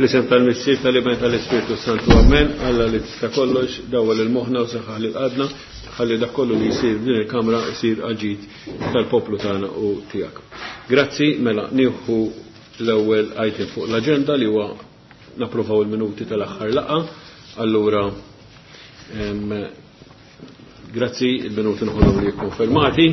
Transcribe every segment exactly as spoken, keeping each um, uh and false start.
Fl-isem tal-Missier, tal-Iben, tal-Ispirtu Santu, amen. Alla li tista' kollox, dawwal il-moħħna u saħħaħ lil qalbna, ħalli dak kollu li jsir f'din il-kamra jsir għall-ġid tal-poplu tagħna u tiegħek. Grazzi, mela nieħu l-ewwel item fuq l-aġenda li huwa napprovaw il-minuti tal-aħħar laqgħa. Allura grazzi, il-minuti nħollhom li jikkonfermati.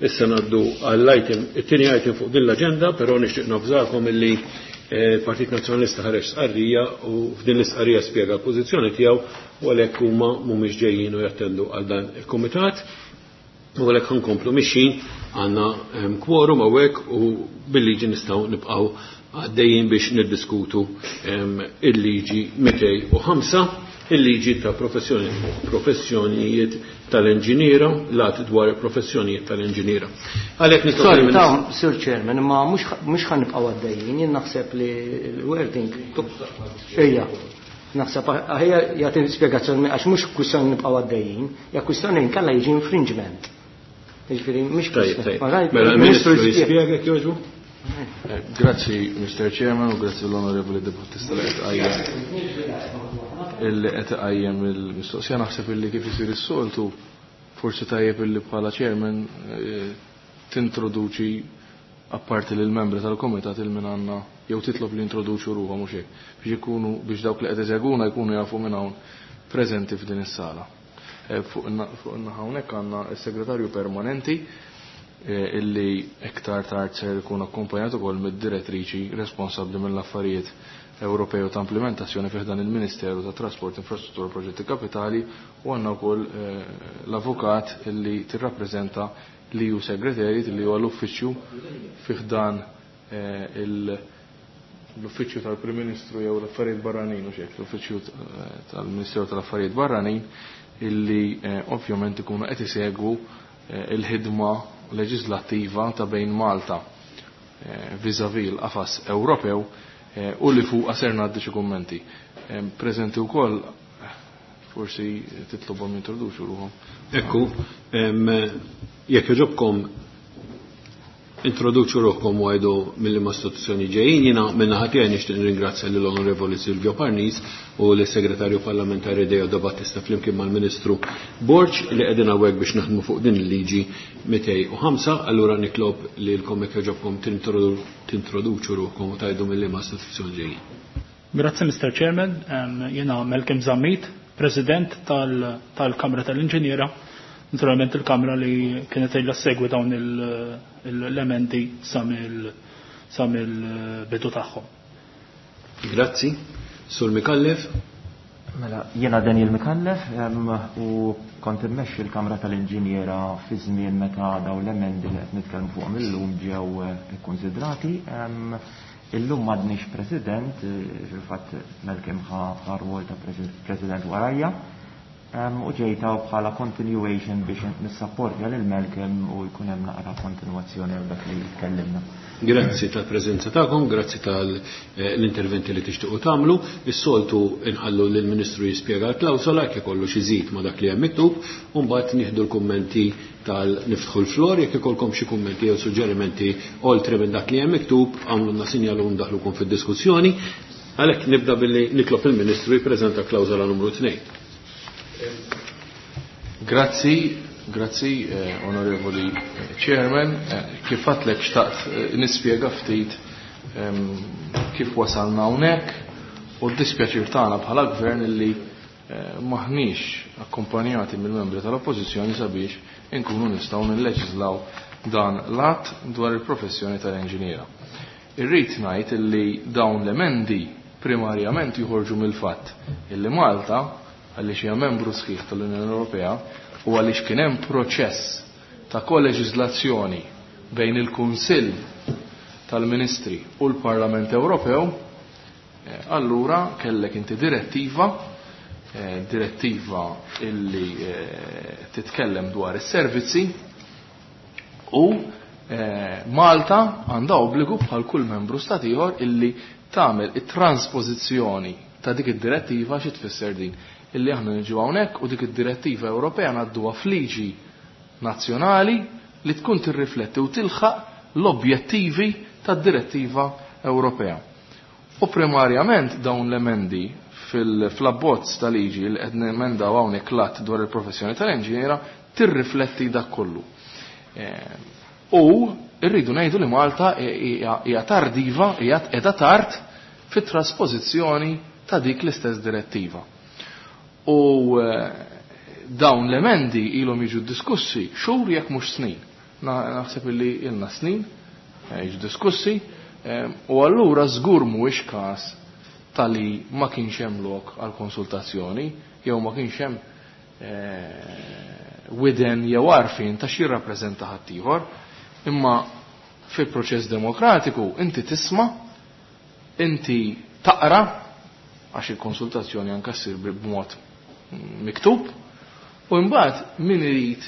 Issa ngħaddu għall-item, it-tieni item fuq din l-aġenda, però nixtieq navżakom illi il-Partit Nazzjonalista ħareġ stqarrija u f'din l-istqarrija spjega l-pożizzjoni tiegħu u għalhekk huma mhumiex ġejjin u jattendu għal dan il-kumitat. U għalhekk ħankomplu mixjin, għandna quorum hawnhekk u bil-liġi nistgħu nibqgħu għaddejjin biex niddiskutu il-liġi mitejn u ħamsa, il-liġi ta' professjonijiet tal-inġiniera, lat dwar professjonijiet tal-inġiniera. Għalhekk nitlob Sorry, ta' Sir Chairman, imma mhux ħa nibqgħu għaddejjin, jien naħseb li l-wording. Ejja, naħseb aħjar jagħti spjegazzjoni għax mhux kwistjoni nibqgħu għaddejjin, hija kwistjoni nkella jiġi infringement. Jiġifieri mhux kwistjoni. Mela il-Ministru jispjega jekk jogħġbu? Grazzi, Mister Chairman, u grazzi l-Onorevoli De Battista li qed qajjem illi qed iqajjem il-mistoqsija. Naħseb illi kif isir is-soltu forsi tajjeb illi bħala chairman tintroduċi apparti lil membri tal-komitat il min għandna jew titlob li introduċu ruħhom mhux hekk biex ikunu biex dawk li qed isegwuna jkunu jafu minn hawn preżenti f'din is-sala. Fuq in-naħa hawnhekk għandna s-segretarju permanenti illi iktar tard ser ikun akkumpanjat ukoll mid-direttriċi responsabbli mill-affarijiet Ewropej u ta' implementazzjoni fih dan il-Ministeru ta' Trasport, Infrastruttura u Proġetti Kapitali, u għandna wkoll l-avukat illi tirrappreżenta l-E U Secretariat illi huwa l-uffiċċju fih dan l-uffiċċju tal-Prim Ministru jew l-Affarijiet Barranin u xejn, l-uffiċċju tal-Ministeru tal-Affarijiet Barranin illi ovvjament ikunu qed isegwu il-ħidma leġislattiva ta' bejn Malta vis-à-vis l-qafas Ewropew u li fuq ser ngħaddi xi kummenti. Preżenti wkoll forsi titlobhom jintroduċu ruhom. Ekku, jekk jogħġobkom introduċu ruħkom u għajdu mill-liema istituzzjoni ġejjin. Jiena min-naħa tiegħi nixtieq nirringrazzja lill-Onorevoli Silvio Parnis u lis-Segretarju Parlamentari Deo De Battista flimkien mal-Ministru Borg li qegħdin hawnhekk biex naħdmu fuq din il-liġi mitejn u ħamsa. Allura nitlob lilkom jekk jogħġobkom tintroduċu ruħkom u tgħidu mill-liema istituzzjoni ġejjin. Grazzi, Mister Chairman. Jiena Malcolm Zammit, President tal-Kamra tal-Inġiniera. Naturalment il-Kamra li kienet ilha segwi dawn l-emendi sa mill-bidu tagħhom. Grazzi. Sur Micallef. Mela, jiena Daniel Micallef u kont immexxi l-Kamra tal-Inġiniera fi żmien meta dawn l-emendi li qed nitkellmu fuqhom illum ġew ikkunsidrati. Illum m'għadniex President, fil-fatt Malcolm ħa rwol ta' President warajja. U ġejta bħala continuation biex nissapportja lil Malcolm u jkun hemm naqra kontinwazzjoni għal dak li tkellimna. Grazzi tal-preżenza tagħkom, grazzi tal-interventi li tixtiequ tagħmlu. Is-soltu inħallu lill-Ministru jispjega l-klawsola jekk ikollu xi żid ma' dak li hemm miktub, u mbagħad nieħdu l-kummenti tal-niftħu l-flor jekk ikolkom xi kummenti jew suġġerimenti oltre minn dak li hemm miktub, għamlulna sinjal u ndaħlukom fid-diskussjoni. Għalhekk nibda billi nitlob il-Ministru jippreżenta klawsola numru tnejn. Grazzi, grazzi, eh, Onorevoli Chairman. Eh, kif għadtlek xtaqt eh, nispjega ftit ehm, kif wasalna hawnhekk u d-dispjaċir tagħna bħala gvern illi eh, maħniex akkompanjati mill-membri tal-Oppożizzjoni sabiex inkunu nistgħu nilleġislaw dan l-att dwar il-professjoni tal-inġiniera. Irrid ngħid illi dawn l-emendi primarjament joħorġu mill-fatt illi Malta, għaliex hija membru sħiħ tal-Unjoni Ewropea u għaliex kien hemm proċess ta' koleġiżlazzjoni bejn il-Kunsill tal-Ministri u l-Parlament Ewropew, eh, allura kellek inti direttiva, eh, direttiva illi, eh, titkellem dwar is-servizzi u, eh, Malta għandha obbligu bħal kull membru stat ieħor illi tagħmel it-transpożizzjoni ta' dik id-direttiva. Xi tfisser din? Illi aħna niġu hawnhekk u dik id-direttiva Ewropea ngħadduha f'liġi nazzjonali li tkun tirrifletti u tilħaq l-objettivi tad-direttiva Ewropea. U primarjament dawn l-emendi fil-abbozz ta' liġi li qed nemendaw hawnhekk l-att dwar il-professjoni tal-inġiniera tirrifletti dak kollu. U rridu ngħidu li Malta hija tardiva, hija qiegħda tard fit-trasposizzjoni ta' dik l-istess direttiva. U dawn l-emendi ilhom jiġu diskussi xhur jekk mhux snin. Naħseb illi ilna snin jiġu diskussi, u allura żgur mhuwiex każ tali ma kienx hemm lok għal konsultazzjoni jew ma kienx hemm widen jew għarfien ta' xi jirrappreżenta ħaddieħor, imma fil-proċess demokratiku inti tisma', inti taqra, għax il-konsultazzjoni anke ssir b'mod miktub, u mbagħad min irid,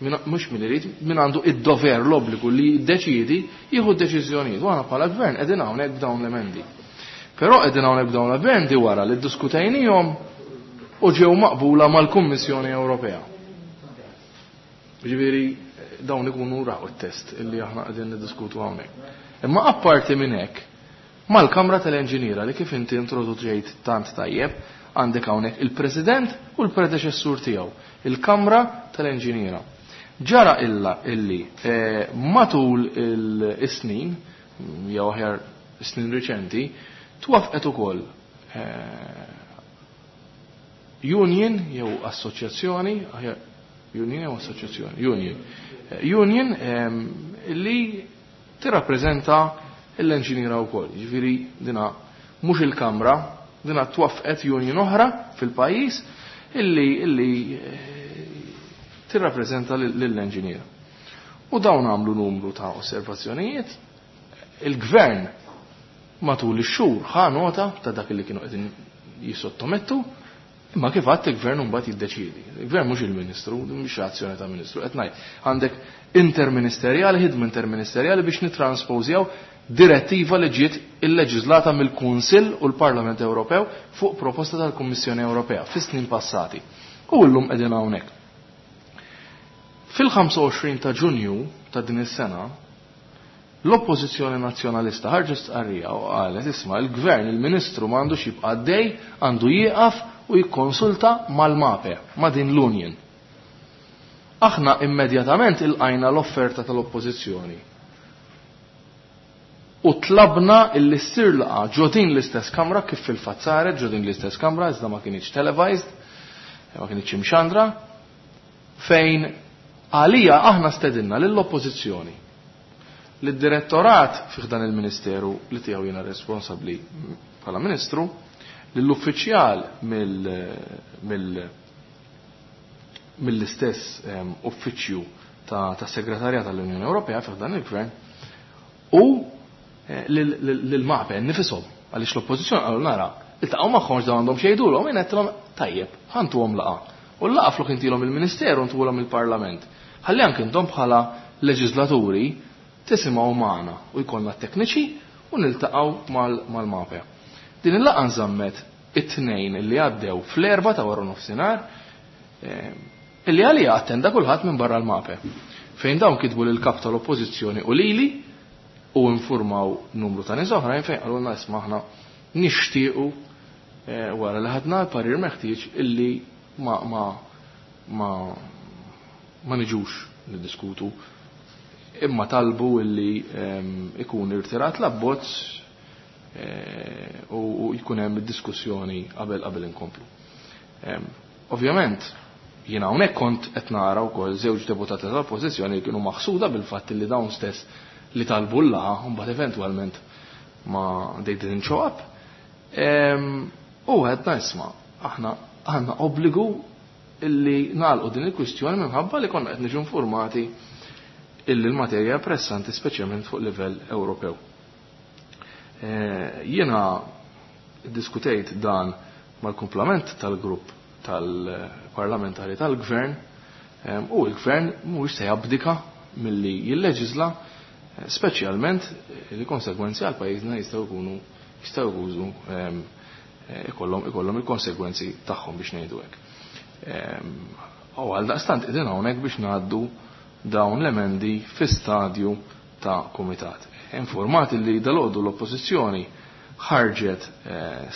mhux min irid, min għandu id-dover, l-obbligu li jiddeċiedi, jieħu d-deċiżjonijiet. U aħna bħala gvern qegħdin hawnhekk b'dawn l-emendi. Però qegħdin hawnhekk b'dawn l-emendi wara li ddiskutejnihom u ġew maqbula mal-Kummissjoni Ewropea. Ġifieri dawn ikunu raw it-test illi aħna qegħdin niddiskutu hawnhekk. Imma apparti minn hekk, mal-Kamra tal-Inġiniera li kif inti introduċejt tant tajjeb, għandek hawnhekk il-President u l-predeċessur tiegħu, il-Kamra tal-Inġiniera. Ġara illa illi matul is-snin, jew aħjar snin riċenti, twafqet ukoll union jew assoċjazzjoni, aħjar union jew assoċjazzjoni, union, union li tirrappreżenta l-inġiniera wkoll. Jiġifieri dina mhux il-Kamra, dina twaffqet union oħra fil-pajjiż illi illi tirrappreżenta lill-inġiniera. U dawn għamlu numru ta' osservazzjonijiet. Il-gvern matul ix-xhur ħa nota ta' dak li kienu qegħdin jissottomettu, imma kif għadd il-gvern mbagħad jiddeċiedi. Il-gvern mhux il-ministru, mhux azzjoni ta' ministru, qed ngħid għandek interministerjali, ħidma interministerjali biex nitranspożjaw direttiva li ġiet illeġislata mill-Kunsill u l-Parlament Ewropew fuq proposta tal-Kummissjoni Ewropea fis-snin passati. U llum qegħdin hawnhekk. Fil-ħamsa u għoxrin ta' Ġunju ta' din is-sena, l-Oppożizzjoni Nazzjonalista ħarġet stqarrija u qalet isma' il-Gvern, il-Ministru ma għandux jibqa' għaddej, għandu jieqaf u jikkonsulta mal-MAPE, ma' din l-Union. Aħna immedjatament ilqajna l-offerta tal-Oppożizzjoni u tlabna illi ssir laqgħa ġo din l-istess kamra kif fil-fatt saret ġo din l-istess kamra, iżda ma kienx televised, ma kienx imxandra, fejn għalija aħna stedinna lill-Oppożizzjoni, lid-direttorat fih dan il-Ministeru li tiegħu jiena responsabbli bħala Ministru, lill-uffiċjal mill-istess uffiċċju ta' segretarjat tal-Unjoni Ewropea fih dan il-Gvern u lill-MAPE nifisom, għaliex l-Oppożizzjoni qalu nara, iltaqgħu magħhom x'dawn għandhom xi jgħidulhom, jien għedtilhom tajjeb, ħantuhom laqgħa. U l-laqgħa flok intilhom il-Ministeru ntuhom il-Parlament. Ħalli anke intom bħala leġislaturi tisimgħu magħna u jkollna tekniċi u niltaqgħu mal-MAPE. Din il-laqgħa nżammet it-tnejn li għaddew fl-erba ta' wara nofsinhar, illi għalija attenda kulħadd minn barra l-MAPE. Fejn dawn kitbu lil kap tal-Oppożizzjoni u lili u informaw numru ta' nies oħrajn fejn qalulna isma' aħna nixtiequ wara li ħadna l-parir meħtieġ illi ma ma ma ma niġux niddiskutu, imma talbu illi ikun irtirat l-abbozz u jkun hemm id-diskussjoni qabel qabel inkomplu. Ovvjament, jiena hawnhekk kont qed nara wkoll żewġ deputati tal-Oppożizzjoni li kienu maħsuda bil-fatt li dawn stess li talbu l-laqgħa u mbagħad eventwalment ma they didn't show up. U għedna isma' aħna għandna obbligu illi nagħlqu din il-kwistjoni minħabba li konna qed niġu informati illi l-materja pressanti speċjalment fuq livell Ewropew. Jiena diskutejt dan mal-kumplament tal-grupp tal-parlamentari tal-gvern u l-gvern mhuwiex se jabdika milli jilleġisla, speċjalment li konsegwenzi għal pajjiżna jistgħu jkunu jistgħu jkunu ikollhom ikollhom il-konsegwenzi tagħhom biex ngħidu hekk. U għal daqstant qegħdin hawnhekk biex ngħaddu dawn l-emendi fi stadju ta' kumitat. Informati li dalgħodu l-Oppożizzjoni ħarġet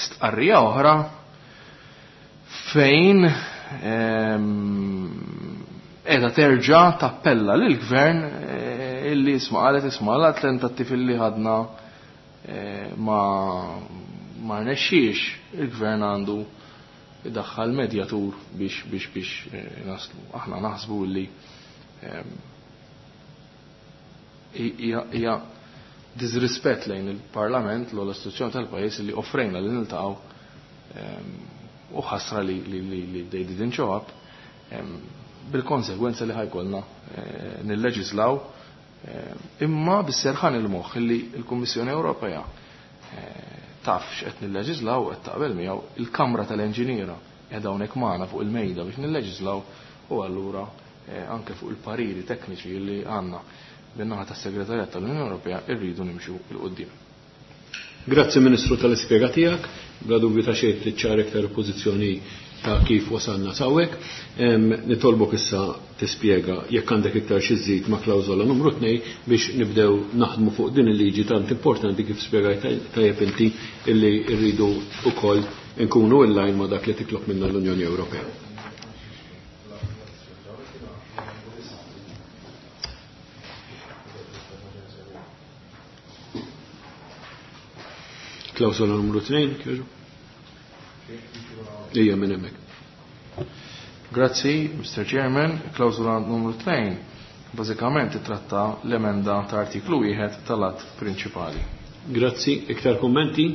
stqarrija oħra fejn qiegħda terġa' tappella lill-gvern illi isma' qalet isma' la tentattiv illi ħadna ma ma rnexxiex, il-gvern għandu idaħħal medjatur biex biex biex naslu. Aħna naħsbu li hija disrispett lejn il-Parlament l istituzzjoni tal-pajjiż li offrejna li niltaqgħu u ħasra li li they didn't show up, bil-konsegwenza li ħajkolna nilleġislaw imma bis-serħan il-moħħ li l-Kummissjoni Ewropea taf x'qed nilleġislaw u qed taqbel miegħu, il-Kamra tal-Enġiniera qiegħda hawnhekk magħna fuq il-mejda biex nilleġislaw, u allura anke fuq il-pariri tekniċi li għandna bin-naħa tas-Segretarjat tal-Unjoni Ewropea rridu nimxu 'l quddiem. Grazzi Ministru tal-ispjega tiegħek, bla dubju ta' xejn tiċċara iktar pożizzjoni ta' kif wasalna sawek. Nitolbok issa tispjega jekk għandek iktar xi żżid ma' klawżola numru tnejn biex nibdew naħdmu fuq din il-liġi tant importanti kif spjegajt tajjeb inti illi rridu wkoll nkunu in line ma' dak li titlob minna l-Unjoni Ewropea. Klawsola numru tnejn, kieġu? Ija minn hemmhekk. Grazzi, Mister Chairman. Klawsola numru tnejn bażikament titratta l-emenda ta' artiklu wieħed tal-att prinċipali. Grazzi, iktar kommenti?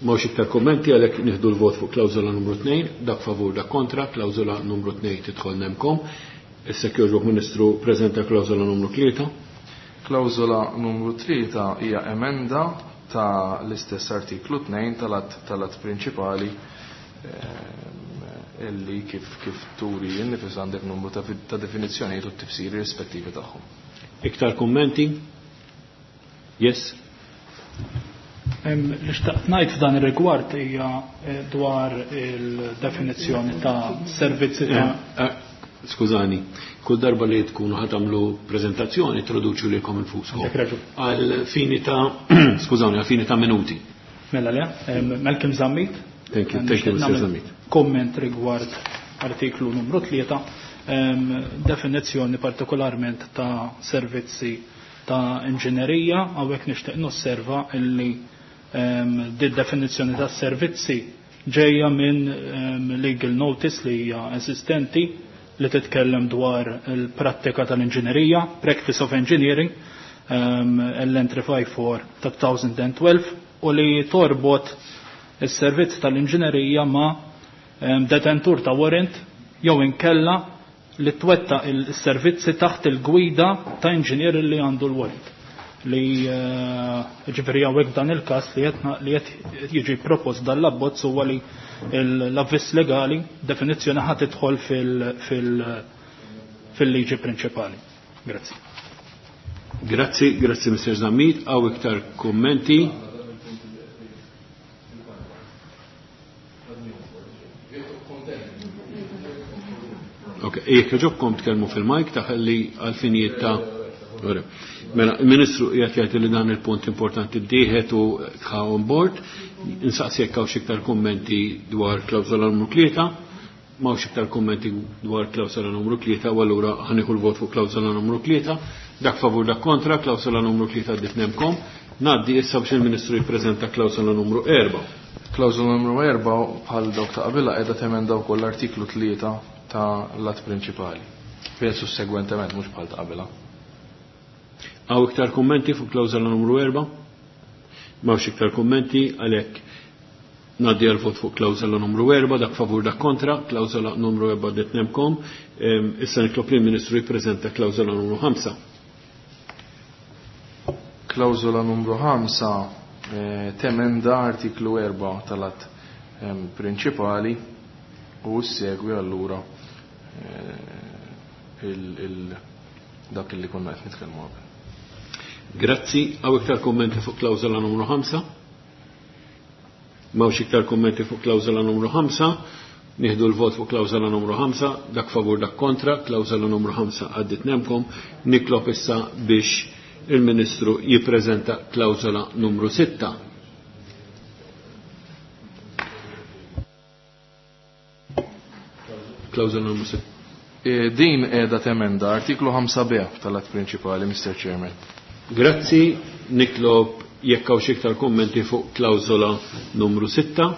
Mhux iktar kommenti, għalhekk nieħdu l-vot fuq klawsola numru tnejn, dak favur, dak kontra, klawsola numru tnejn tidħol nemkom. Issa kjoġbok Ministru preżenta klawsola numru tlieta. Klawsola numru tlieta hija emenda ta' l-istess artiklu tnejn tal-att tal-att prinċipali illi kif kif turi innifis għandek numru ta' ta' definizzjonijiet u t-tifsiri rispettivi tagħhom. Iktar kummenti? Yes. Li xtaqt ngħid f'dan ir-rigward hija dwar il-definizzjoni ta' servizzi ta' Skużani, kull darba li tkunu ħatamlu prezentazzjoni introduċu lilkom infuskom. Għal fini ta' skużani, għal fini ta' minuti. Mela le, Malcolm Zammit. Thank you, thank you, Mister Zammit. Komment rigward artiklu numru tlieta, definizzjoni partikolarment ta' servizzi ta' inġinerija, hawnhekk nixtieq nosserva illi di definizzjoni ta' servizzi ġejja minn legal notice li hija eżistenti li titkellem dwar il-prattika tal-inġinerija, Practice of Engineering, L N three five four ta' two thousand twelve, u li torbot is-servizz tal-inġinerija ma' detentur ta' warrant jew inkella li twetta il-servizzi taħt il-gwida ta' inġinier li għandu l-warrant. Li ġifieri hawnhekk f'dan il-każ li qed jiġi propost dan l-abbozz huwa li l-avviż legali definizzjoni ħadd tidħol fil-liġi prinċipali. Grazzi. Grazzi, grazzi Mister Zammit. Hawn iktar kummenti? Ok, jekk ġobkom tkellmu fil-mike taħalli għal-finijiet ta' Mela, il-Ministru qiegħed jgħid li dan il-punt importanti ddieħed u tħa on board. Insaqsi jekk hawn xi iktar kummenti dwar klawsola numru tlieta. M'hawnx iktar kummenti dwar klawsola numru tlieta, u allura ħanieħu l-vot fuq klawsola numru tlieta. Dak favur, dak kontra, klawsola numru tlieta għaddit nemkom. Ngħaddi issa biex il-Ministru jippreżenta klawsola numru erba'. Klawsola numru erba' bħal dawk ta' qabilha qiegħda temenda wkoll l-artiklu tlieta ta' l-att prinċipali. Fejn sussegwentement mhux bħal ta' qabilha. Hawn iktar kummenti fuq klawsola numru erba'? M'hawnx iktar kummenti, għalhekk ngħaddi għal vot fuq klawsola numru erba', dak favur, dak kontra, klawsola numru erba' għaddit nemkom. Issa nitlob lill-Ministru jippreżenta klawsola numru ħamsa. Klawsola numru ħamsa temenda artiklu erba' tal-att prinċipali u segwi allura dak li konna qed nitkellmu qabel. Grazzi. Hawn iktar kummenti fuq klawsola numru ħamsa? M'hawnx iktar kummenti fuq klawsola numru ħamsa. Nieħdu l-vot fuq klawsola numru ħamsa, dak favur, dak kontra, klawsola numru ħamsa għaddit nemkom. Nitlob issa biex il-Ministru jippreżenta klawsola numru sitta. klawżola numru sitta? Din qiegħda temenda artiklu ħamsa B tal-att prinċipali, Mister Chairman. Grazzi, nitlob jekk hawn xi iktar kummenti fuq klawżola numru sitta.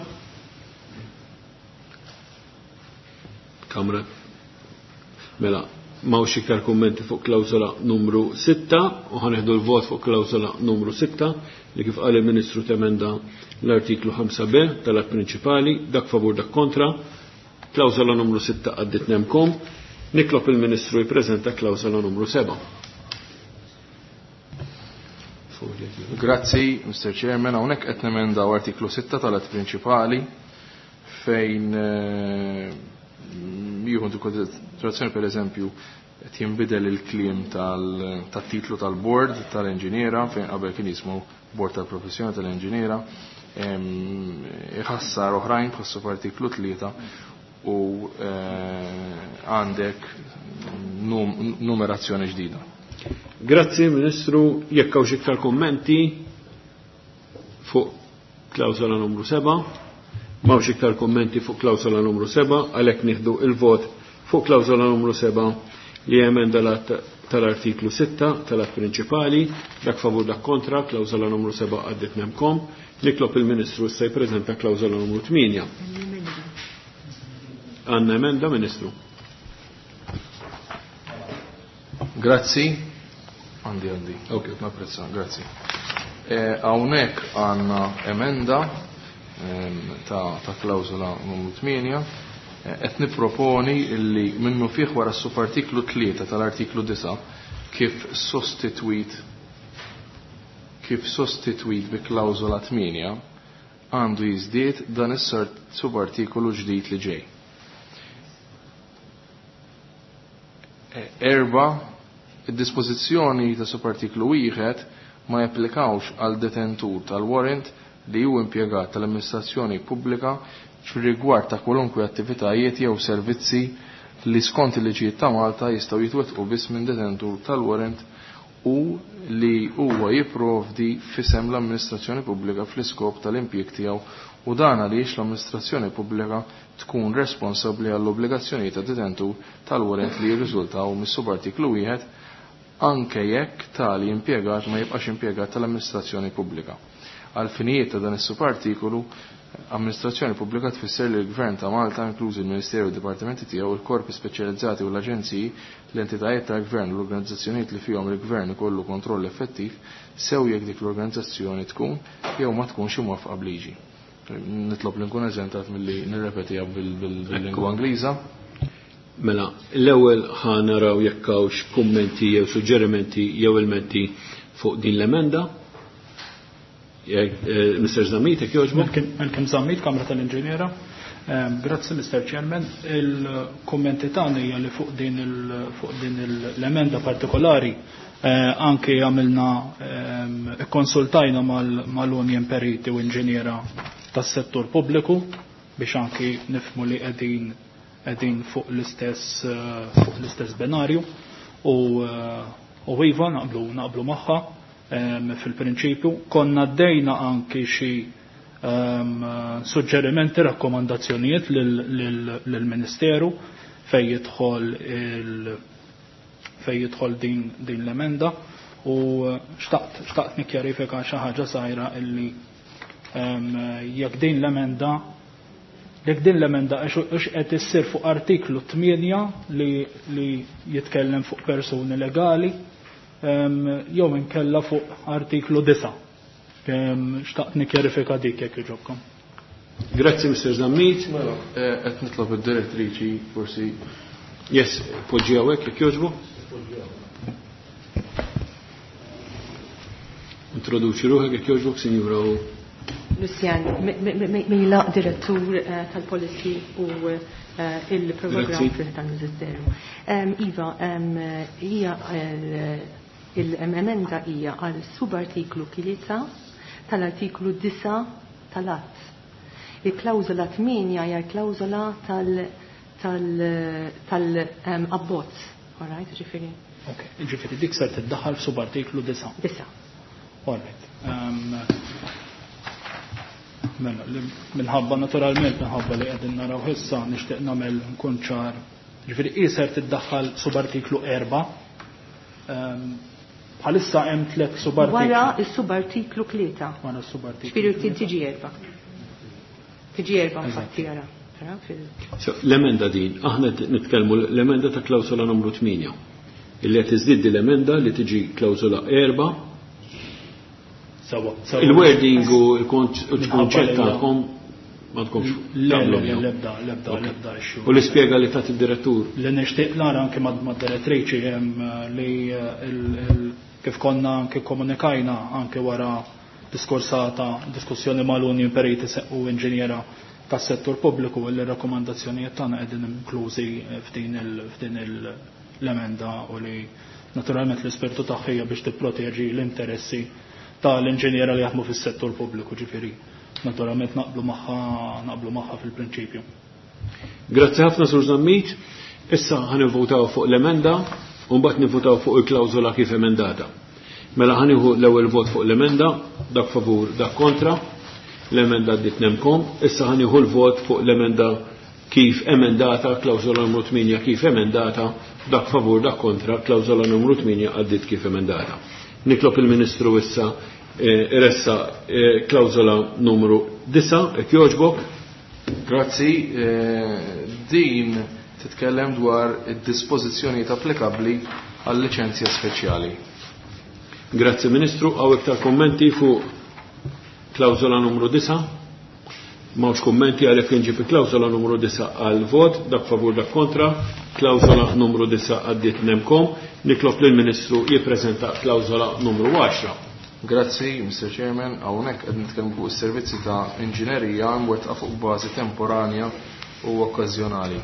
Kamra. Mela, m'hawnx iktar kummenti fuq klawżola numru sitta u ħaneħdu l-vot fuq klawżola numru sitta li kif qal il-Ministru temenda l-artiklu ħamsa B tal-att prinċipali, dak favur dak kontra. Klawżola numru sitta għaddit nemkom. Nitlob il-Ministru jippreżenta klawżola numru seba'. Grazzi, Mister Chairman. Hawnhekk qed nemendaw artiklu sitta tal-att prinċipali fejn jieħu konsiderazzjoni per eżempju qed jinbidel il-kliem tat-titlu tal-board tal-inġiniera fejn qabel kien jismu Board tal-Professjoni tal-Inġiniera, iħassar oħrajn bħassu f'artiklu tlieta u għandek numerazzjoni ġdida. Grazzi Ministru, jekk hawn xi iktar kummenti fuq klawsola numru seba', m'hawnx iktar kummenti fuq klawsola numru seba', għalhekk nieħdu il-vot fuq klawsola numru seba' li emenda tal-artiklu sitta tal-att prinċipali, dak favur dak kontra, klawsola numru seba' għaddit nemkom. Nitlob il-Ministru issa jippreżenta klawsola numru tmienja. Għandna emenda, Ministru. Grazzi. Għandi, għandi. Ok, napprezza, grazzi. Hawnhekk għandna emenda ta' klawsola numru tmienja. Qed nipproponi li minnu fih wara s-subartiklu tlieta tal-artiklu disa' kif sostitwit kif sostitwit bi klawsola tmienja għandu jiżdied dan is-subartikolu ġdid li ġej. Erba, id-dispożizzjoni ta' subartiklu wieħed ma japplikawx għal detentur tal-warrant li hu impjegat tal-amministrazzjoni pubblika fir-rigward ta' kwalunkwe attivitajiet jew servizzi li skont il-liġijiet ta' Malta jistgħu jitwettqu biss minn detentur tal-warrant u li huwa jipprovdi f'isem l-amministrazzjoni pubblika fl-iskop tal-impjieg tiegħu u dan għaliex l-amministrazzjoni pubblika tkun responsabbli għall-obbligazzjonijiet ta' detentur tal-warrant li jirriżultaw mis-subartiklu wieħed anke jekk tali impjegat ma jibqax impjegat tal-amministrazzjoni pubblika. Għal finijiet ta' dan is-subartikolu, amministrazzjoni pubblika tfisser li l-Gvern ta' Malta, inklużi l-Ministeru u d-Dipartimenti tiegħu, il-korpi speċjalizzati u l-aġenziji, l-entitajiet tal-Gvern u l-organizzazzjonijiet li fihom il-Gvern ikollu kontroll effettiv, sew jekk dik l-organizzazzjoni tkun jew ma tkunx imwaffqa b'liġi. Nitlob li nkun eżentat milli nirrepetiha bil-lingwa Ingliża. Mela, l-ewwel ħa naraw jekk hawnx kummenti jew suġġerimenti jew ilmenti fuq din l-emenda. Mister Zammit, jekk jogħġbok? Malcolm Zammit, Kamra tal-Inġiniera. Grazzi, Mister Chairman. Il-kummenti tagħna hija li fuq din fuq din l-emenda partikolari anke għamilna ikkonsultajna mal-Union Periti u Inġiniera tas-settur pubbliku biex anke nifhmu li qegħdin qegħdin fuq l-istess fuq l-istess binarju u u iva naqblu naqblu magħha fil-prinċipju. Konna ddejna anki xi suġġerimenti, rakkomandazzjonijiet lill-Ministeru fejn jidħol il fejn jidħol din din l-emenda u xtaqt xtaqt nikkjarifika xi ħaġa żgħira illi jekk din l-emenda jekk din l-emenda ix qed issir fuq artiklu tmienja li li jitkellem fuq persuni legali jew inkella fuq artiklu disa'. Xtaqt nikkjarifika dik jekk jogħġobkom. Grazzi, Mister Zammit. Mela, qed nitlob id-direttriċi forsi. Yes, poġġi hawnhekk jekk jogħġbu. Introduċi ruħek jekk jogħġbok, Sinjura. Lucian Mejlaq, direttur tal-Policy u il-programm tal-Ministeru. Iva, hija il-emenda hija għal subartiklu tlieta tal-artiklu disa' tal-att. Il-klawżola tmienja hija l-klawżola tal-abbozz. All right, ġifieri. Ok, ġifieri dik ser tiddaħħal f'subartiklu disa'. Disa'. All right. Mela, minħabba naturalment minħabba li qegħdin naraw issa nixtieq nagħmel nkun ċar Ġifieri qiser tiddaħħal subartiklu erba'. Bħalissa hemm tliet subartiklu. Wara s-subartiklu tlieta. Wara s-subartiklu. Ġifieri tiġi erba'. Tiġi erba' infatti ara. L-emenda din, aħna nitkellmu l-emenda ta' klawsola numru tmienja. Illi qed iżdid l-emenda li tiġi klawsola erba'. Sawa. Il-wording u l-kunċett tagħkom ma tkunx taqblu miegħu. L-ebda, l-ebda, l-ebda issue. U l-ispjega li tat id-direttur. Li nixtieq nara anke mad-direttriċi li kif konna anke komunikajna anke wara diskorsata diskussjoni mal-Union Periti u inġiniera tas-settur pubbliku li r-rakkomandazzjonijiet tagħna qegħdin inklużi f'din f'din l-emenda u li naturalment l-ispirtu tagħha hija biex tipproteġi l-interessi tal-inġiniera li jaħdmu fis-settur pubbliku, ġifieri naturalment naqblu magħha naqblu magħha fil-prinċipju. Grazzi ħafna Sur Zammit. Issa ħanivvutaw fuq l-emenda u mbagħad nivvutaw fuq il-klawżola kif emendata. Mela ħanieħu l-ewwel vot fuq l-emenda, dak favur, dak kontra. L-emenda għaddiet nemkom. Issa ħanieħu l-vot fuq l-emenda kif emendata, klawżola numru tmienja kif emendata, dak favur, dak kontra, klawżola numru tmienja għaddiet kif emendata. Nitlob il-Ministru issa iressa klawżola numru disa', jekk jogħġbok. Grazzi. Din titkellem dwar id-dispożizzjonijiet applikabbli għal liċenzja speċjali. Grazzi Ministru. Hawn iktar kommenti fuq klawżola numru disa'? M'hawnx kummenti, għalhekk inġib il-klawżola numru disa' għal vot, dak favur, dak kontra. Klawżola numru disa' għaddiet nemkom. Nitlob lill-Ministru jippreżenta klawżola numru għaxra. Grazzi, Mister Chairman. Hawnhekk qed nitkellmu fuq is-servizzi ta' inġinerija mwettqa fuq bażi temporanja u okkażjonali.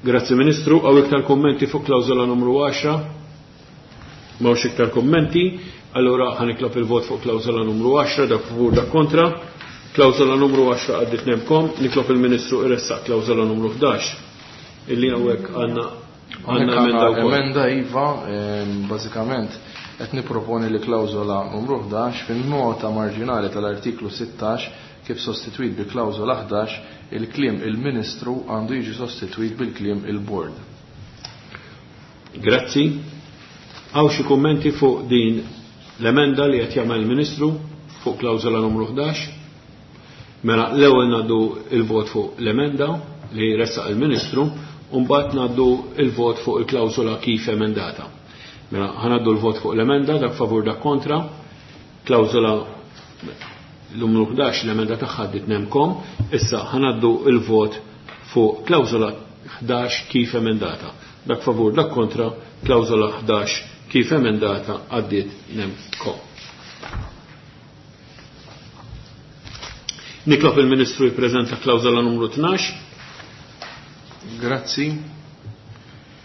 Grazzi Ministru. Hawn iktar kummenti fuq klawżola numru għaxra? M'hawnx iktar kummenti. Allura ħanitlob il-vot fuq klawżola numru għaxra, dak favur, dak kontra. Klawżola numru għaxra għaddiet nemkom. Nitlob il-Ministru iressaq klawżola numru ħdax. Illi hawnhekk għandna għandna emenda wkoll. Emenda iva, bażikament qed nipproponi li klawżola numru ħdax fin-nota marġinali tal-artiklu sittax kif sostitwit bi klawżola ħdax il-kliem il-Ministru għandu jiġi sostitwit bil-kliem il-Bord. Grazzi. Hawn xi kummenti fuq din l-emenda li qed jagħmel il-Ministru fuq klawżola numru ħdax? Mela l-ewwel ngħaddu il-vot fuq l-emenda li ressaq il-Ministru u mbagħad ngħaddu il-vot fuq il-klawżola kif emendata. Mela ħanaddu l-vot fuq l-emenda, dak favur, dak kontra. Klawżola numru ħdax l-emenda tagħha għaddiet nemkom. Issa ħanaddu il-vot fuq klawżola ħdax kif emendata. Dak favur, dak kontra, klawżola ħdax kif emendata għaddiet nemkom. Nitlob il-Ministru jippreżenta klawżola numru tnax. Grazzi.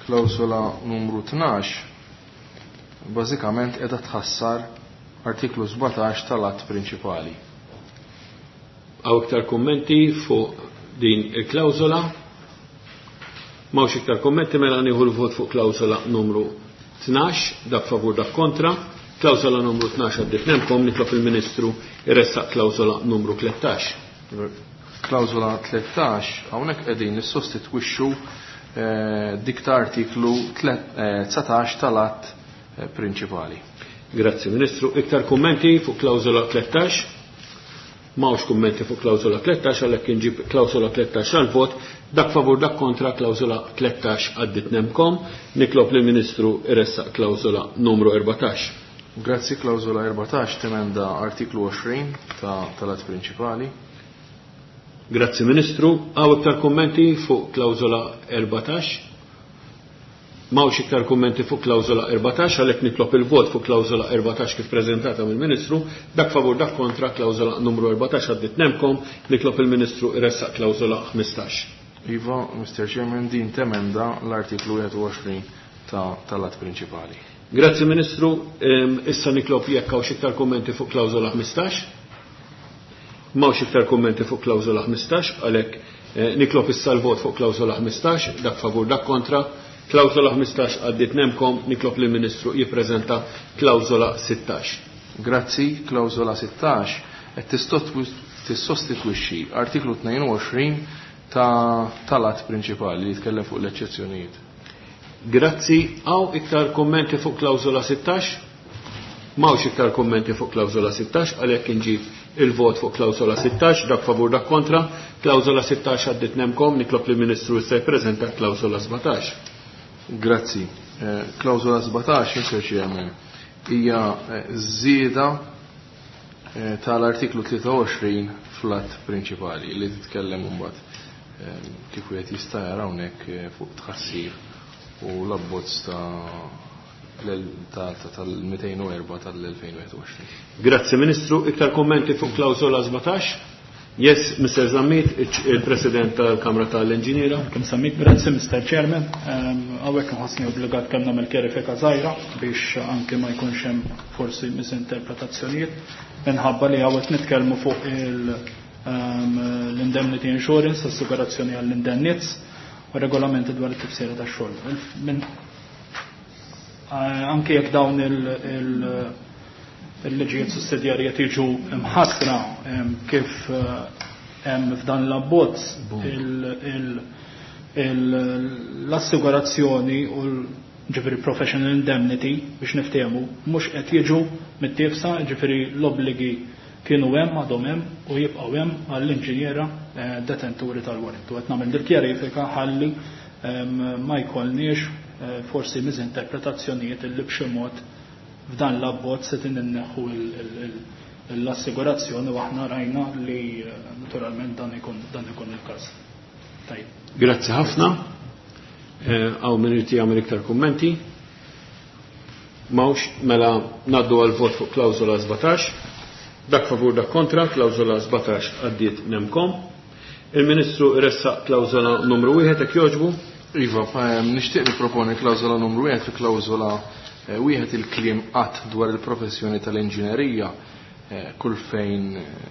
Klawżola numru tnax bażikament qiegħda tħassar artiklu sbatax tal-att prinċipali. Hawn iktar kummenti fuq din il-klawżola? M'hawnx iktar kummenti, mela nieħu l-vot fuq klawżola numru tnax, dak favur, dak kontra. Klawżola numru tnax għaddiet nemkom. Nitlob il-Ministru jressaq klawżola numru tlettax. Klawżola tlettax hawnhekk qegħdin nissostitwixxu dik ta' artiklu dsatax tal-att prinċipali. Grazzi Ministru. Iktar kummenti fuq klawżola tlettax? M'hawnx kummenti fuq klawżola tlettax, għalhekk inġib klawżola tlettax għal vot, dak favur, dak kontra, klawżola tlettax għaddiet nemkom. Nitlob lill-Ministru jressaq klawżola numru erbatax. Grazzi. Klawżola erbatax temenda artiklu għoxrin tal-att prinċipali. Grazzi Ministru. Hawn iktar kummenti fuq klawżola erbatax? M'hawnx iktar kummenti fuq klawżola erbatax, għalhekk nitlob il-vot fuq klawżola erbatax kif preżentata mill-Ministru. Dak favur, dak kontra, klawżola numru erbatax għaddiet nemkom. Nitlob il-Ministru jressaq klawżola ħmistax. Iva, Mister Chairman, din temenda l-artiklu wieħed u għoxrin tal-att prinċipali. Grazzi Ministru. Issa nitlob jekk hawn xi iktar kummenti fuq klawżola ħmistax. M'hawnx iktar kummenti fuq klawżola ħmistax, għalhekk nitlob issa l-vot fuq klawżola ħmistax, dak favur, dak kontra. Klawżola ħmistax għaddiet nemkom. Nitlob lill-Ministru jippreżenta klawżola sittax. Grazzi. Klawżola sittax qed tissostitwixxi artiklu tnejn u għoxrin ta' tal-att prinċipali li jitkellem fuq l-eċċezzjonijiet. Grazzi. Hawn iktar kommenti fuq klawżola sittax? M'hawnx iktar kommenti fuq klawżola sittax, għalhekk inġib il-vot fuq klawżola sittax, dak favur dak kontra. Klawżola sittax għaddit nemkom, nitlob lill-Ministru issa jippreżenta klawżola sbatax. Grazzi. Klawżola sbatax, Mister Chairman, hija żieda tal-artiklu tlieta u għoxrin fl-att prinċipali li titkellem imbagħad kif wieħed jista' jara hawnhekk fuq tħassir u l-abbozz tal-mitejn u erba' tal-elfejn u wieħed u għoxrin. Grazzi Ministru, iktar kommenti fuq klawżola sbatax? Yes, Mister Zammit, il-President tal-Kamra tal-Inġiniera. Kemm Zammit, grazzi Mister Chairman. Hawnhekk nħossni obbligat kemm nagħmel kjerifika żgħira biex anke ma jkunx hemm forsi misinterpretazzjonijiet minħabba li hawnhekk nitkellmu fuq l-indemnity insurance, assigurazzjoni għall-indennizz u regolamenti dwar it-tifsira tax-xogħol. Anke jekk dawn il-liġijiet sussidjarji tiġu mħassra kif hemm f'dan l-abbozz l-assigurazzjoni u ġifieri professional indemnity biex niftehmu mhux qed jiġu mit-tifsa, ġifieri l-obbligi kienu hemm, għadhom hemm u jibqgħu hemm għall-inġiniera detenturi tal-warrant. U qed nagħmel dil-kjarifika ħalli ma jkollniex forsi miżinterpretazzjonijiet illi b'xi mod f'dan l-abbozz se tinneħħu l-assigurazzjoni u aħna rajna li naturalment dan ikun dan ikun il-każ. Tajjeb. Grazzi ħafna. Hawn min irid jagħmel iktar kummenti? M'hawnx, mela ngħaddu għal vot fuq klawżola sbatax. Dak favur dak kontra, klawżola sbatax għaddiet nemkom. Il-Ministru ressaq klawżola numru wieħed hekk jogħġbu. Iva, nixtieq nipproponi klawżola numru wieħed fi klawżola wieħed il-kliem qatt dwar il-professjoni tal-inġinerija kull fejn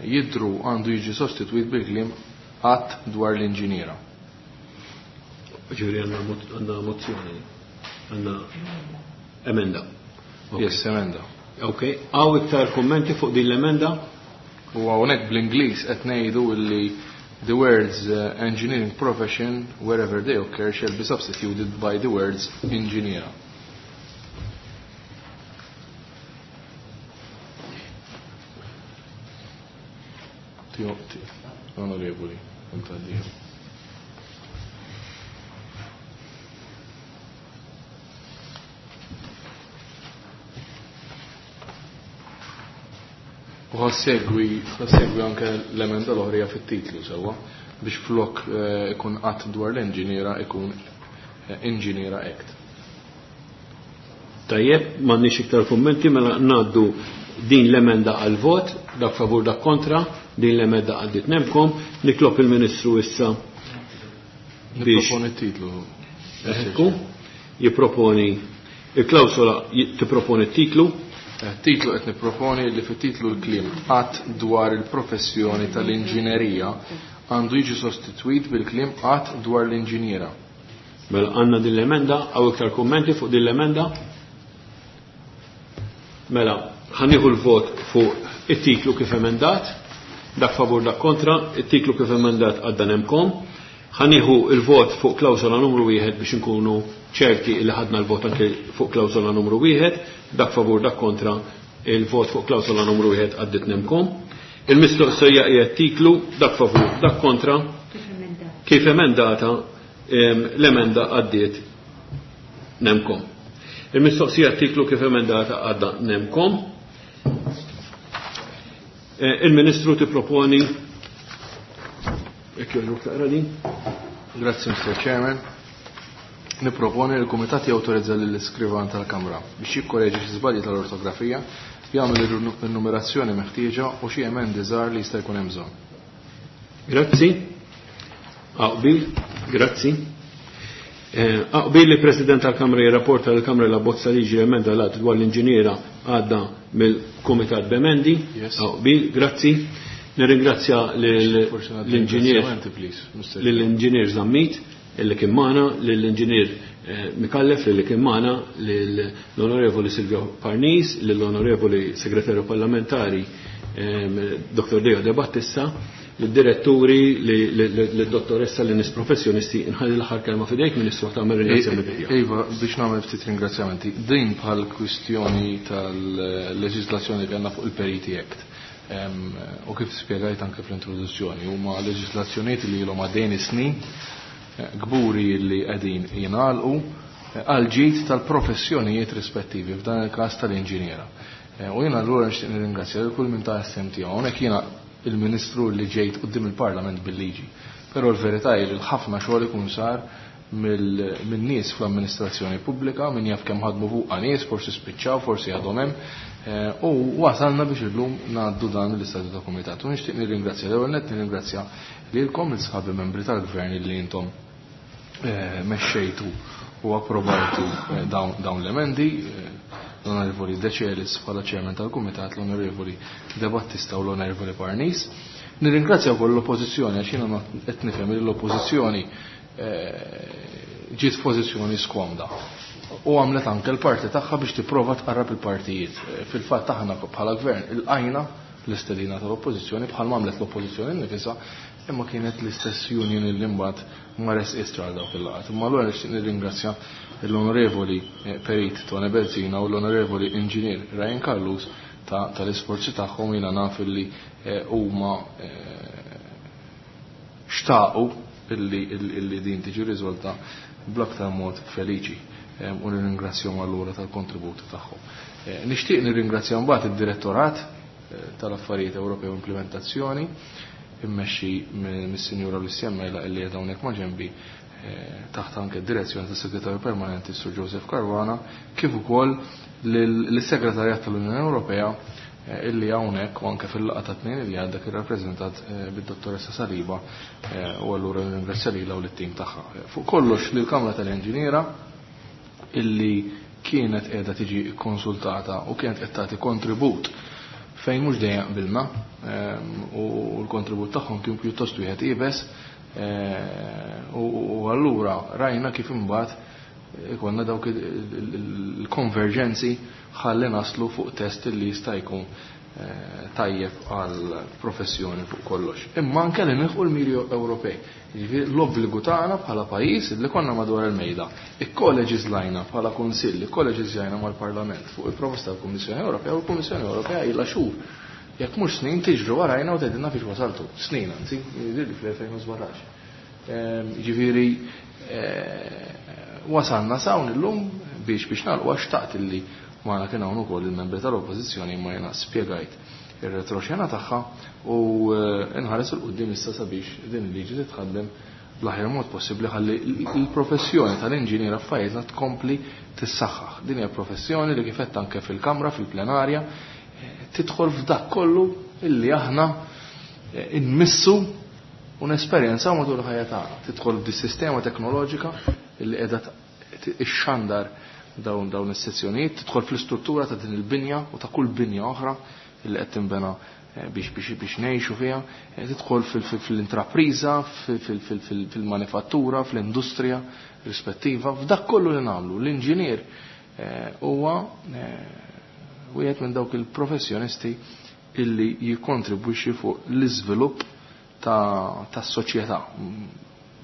jidru għandu jiġi sostitwit bil-kliem qatt dwar l-inġiniera. Ġifieri għandna mozzjoni, għandna emenda. Yes, emenda. Ok, hawn iktar kummenti fuq din l-emenda? U hawnhekk bl-Ingliż qed ngħidu li the words uh, engineering profession, wherever they occur, shall be substituted by the words engineer. Onorevoli, kontaddio. U ħassegwi, ħassegwi anke l-emenda l-oħrija fit-titlu sewwa biex flok ikun qatt dwar l-inġiniera ikun Inġiniera Act. Tajjeb, m'għandniex iktar kummenti, mela ngħaddu din l-emenda għal vot, dak favur dak kontra, din l-emenda għaddit nemkom, nitlob il-Ministru issa biex Nipproponi t-titlu. Ekku, jipproponi il-klawsola tipproponi t-titlu. Titlu qed nipproponi li fit-titlu l-kliem qatt dwar il-professjoni tal-inġinerija għandu jiġi sostitwit bil-kliem qatt dwar l-inġiniera. Mela għandna din l-emenda, hawn iktar kummenti fuq din l-emenda? Mela ħanieħu l-vot fuq it-titlu kif emendat, dak favur dak kontra, it-titlu kif emendat għadda nemkom. Ħanieħu l-vot fuq klawsola numru wieħed biex inkunu ċerti li ħadna l-vot anke fuq klawsola numru wieħed, dak favur dak kontra, il-vot fuq klawsola numru wieħed għaddit nemkom. Il-mistoqsija hija t-titlu, dak favur dak kontra, kif emendata, l-emenda għaddiet nemkom. Il-mistoqsija t-titlu kif emendata għadda nemkom. Il-Ministru tipproponi jekk jogħġbok taqra din. Grazzi, Mister Chairman. Nipproponi li l-Kumitat jawtorizza lill-iskrivan tal-Kamra biex jikkoreġi xi żbalji tal-ortografija, jagħmel il-numerazzjoni meħtieġa u xi emendi żgħar li jista' jkun hemm bżonn. Grazzi. Aqbil, grazzi. Aqbil li President tal-Kamra jirrapporta lill-Kamra la bozza liġi emenda l-att dwar l-inġiniera għadda mill-Kumitat b'emendi. Yes. Aqbil, grazzi. Nirringrazzja Forse nagħti lill-inġinier ringrazzjamenti, please, Mister lill-inġinier Zammit illi kien magħna, lill-inġinier Micallef illi kien magħna, lill-Onorevoli Silvio Parnis, lill-Onorevoli Segretarju Parlamentari Doktor Deo De Battista, lid-diretturi, lid-dottoressa, lin-nies professjonisti. Inħalli l-aħħar kelma f'idejk, Ministru, tagħmel ringrazzjamenti tiegħek. Iva, biex nagħmel ftit ringrazzjamenti. Din bħal kwistjoni tal-leġislazzjoni li għandna fuq il-Periti Act. U kif spjegajt anke fl-introduzzjoni, huma leġislazzjonijiet li ilhom għaddejn snin kburi li qegħdin jingħalqu għal ġid tal-professjonijiet rispettivi, f'dan il-każ tal-inġiniera. U jiena allura nixtieq nirringrazzja lil kull min ta s-sehem tiegħu. Hawnhekk jiena il-Ministru li ġejt quddiem il-Parlament bil-liġi. Però l-verità hi li ħafna xogħol ikun sar minn nies fl-amministrazzjoni pubblika, min jaf kemm ħadmu fuqha nies, forsi spiċċaw, forsi għadhom hemm, u wasalna biex illum ngħaddu dan l-istadju ta' kumitat. U nixtieq nirringrazzja l-ewwel nett nirringrazzja lilkom il-sħabi membri tal-Gvern li intom mexxejtu u approvajtu dawn l-emendi, l-Onorevoli Decelis bħala chairman tal-Kumitat, l-Onorevoli De Battista u l-Onorevoli Parnis. Nirringrazzja wkoll l-Oppożizzjoni, għax jiena qed nifhem li l-Oppożizzjoni ġiet f'pożizzjoni skomda u għamlet anke l-parti tagħha biex tipprova tqarrab il-partijiet. Fil-fatt aħna bħala gvern ilqajna l-istedina tal-Oppożizzjoni bħal għamlet l-Oppożizzjoni nifisha, imma kienet l-istess union li mbagħad ma resqitx għal dawk il-laqgħat. Imma allura nixtieq nirringrazzja l-Onorevoli Perit Tone Bezzina u l-Onorevoli Inġinier Ryan Callus tal-isforzi tagħhom. Jiena naf illi huma xtaqu illi din tiġi riżolta bl-aktar mod feliċi, u nirringrazzjahom allura tal-kontribut tagħhom. Nixtieq nirringrazzja mbagħad id-Direttorat tal-Affarijiet Ewropej u Implementazzjoni immexxi mis-Sinjura Lucia Mela illi qiegħda hawnhekk ma' ġenbi, taħt anke d-direzzjoni tas-Segretarju Permanenti Sur Joseph Caruana, kif ukoll lis-Segretarjat tal-Unjoni Ewropea illi hawnhekk u anke fil-laqgħa ta' tnejn illi għadda kien rappreżentat bid-Dottoressa Saliba, u allura nirringrazzja lilha u lit-tim tagħha. Fuq kollox lill-Kamra tal-Inġiniera illi kienet qiegħda tiġi konsultata u kienet qed tagħti kontribut fejn mhux dejjem qbilna, u l-kontribut tagħhom kien pjuttost wieħed iebes, u allura rajna kif imbagħad ikonna dawk il-konverġenzi ħalli naslu fuq test li jista' jkun tajjeb għal professjoni fuq kollox. Imma anke li nilħqu l-miri Ewropej. Jiġifieri l-obbligu tagħna bħala pajjiż li konna madwar il-mejda. Ikkoleġiżlajna bħala Kunsill, ikkoleġiżlajna mal-Parlament fuq il-proposta tal-Kummissjoni Ewropea, u l-Kummissjoni Ewropea ilha xhur, jekk mhux snin, tiġru warajna u tgħidilna fiex wasaltu. Snin anzi, jidhirli fl-elfejn u sbatax. Jiġifieri wasalna s'hawn illum biex biex nagħlqu, għax xtaqt illi magħna kien hawn ukoll il-membri tal-Oppożizzjoni, imma jiena spjegajt ir-retroxena tagħha u nħares 'il quddiem issa sabiex din il-liġi titħaddem bl-aħjar mod possibbli ħalli l-professjoni tal-inġiniera f'pajjiżna tkompli tissaħħaħ. Din hija professjoni li kif għedt anke fil-Kamra, fil-plenarja, tidħol f'dak kollu illi aħna nmissu u nesperjenzaw matul il-ħajja tagħna. Tidħol f'dis-sistema teknoloġika illi qiegħda ixxandar dawn dawn is-sezzjonijiet, tidħol fl-istruttura ta' din il-binja u ta' kull binja oħra illi qed tinbena biex biex biex ngħixu fiha, tidħol fil-intrapriża, fil-manifattura, fl-industrija rispettiva, f'dak kollu li nagħmlu. L-inġinier huwa wieħed minn dawk il-professjonisti illi jikkontribwixxi fuq l-iżvilupp tas-soċjetà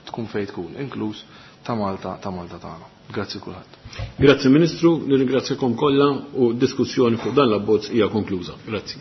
tkun fejn tkun, inkluż ta' Malta, ta' Malta tagħna. Grazzi kulħadd. Grazzi Ministru, nirringrazzjakom kollha u diskussjoni fuq dan l-abbozz hija konkluża. Grazzi.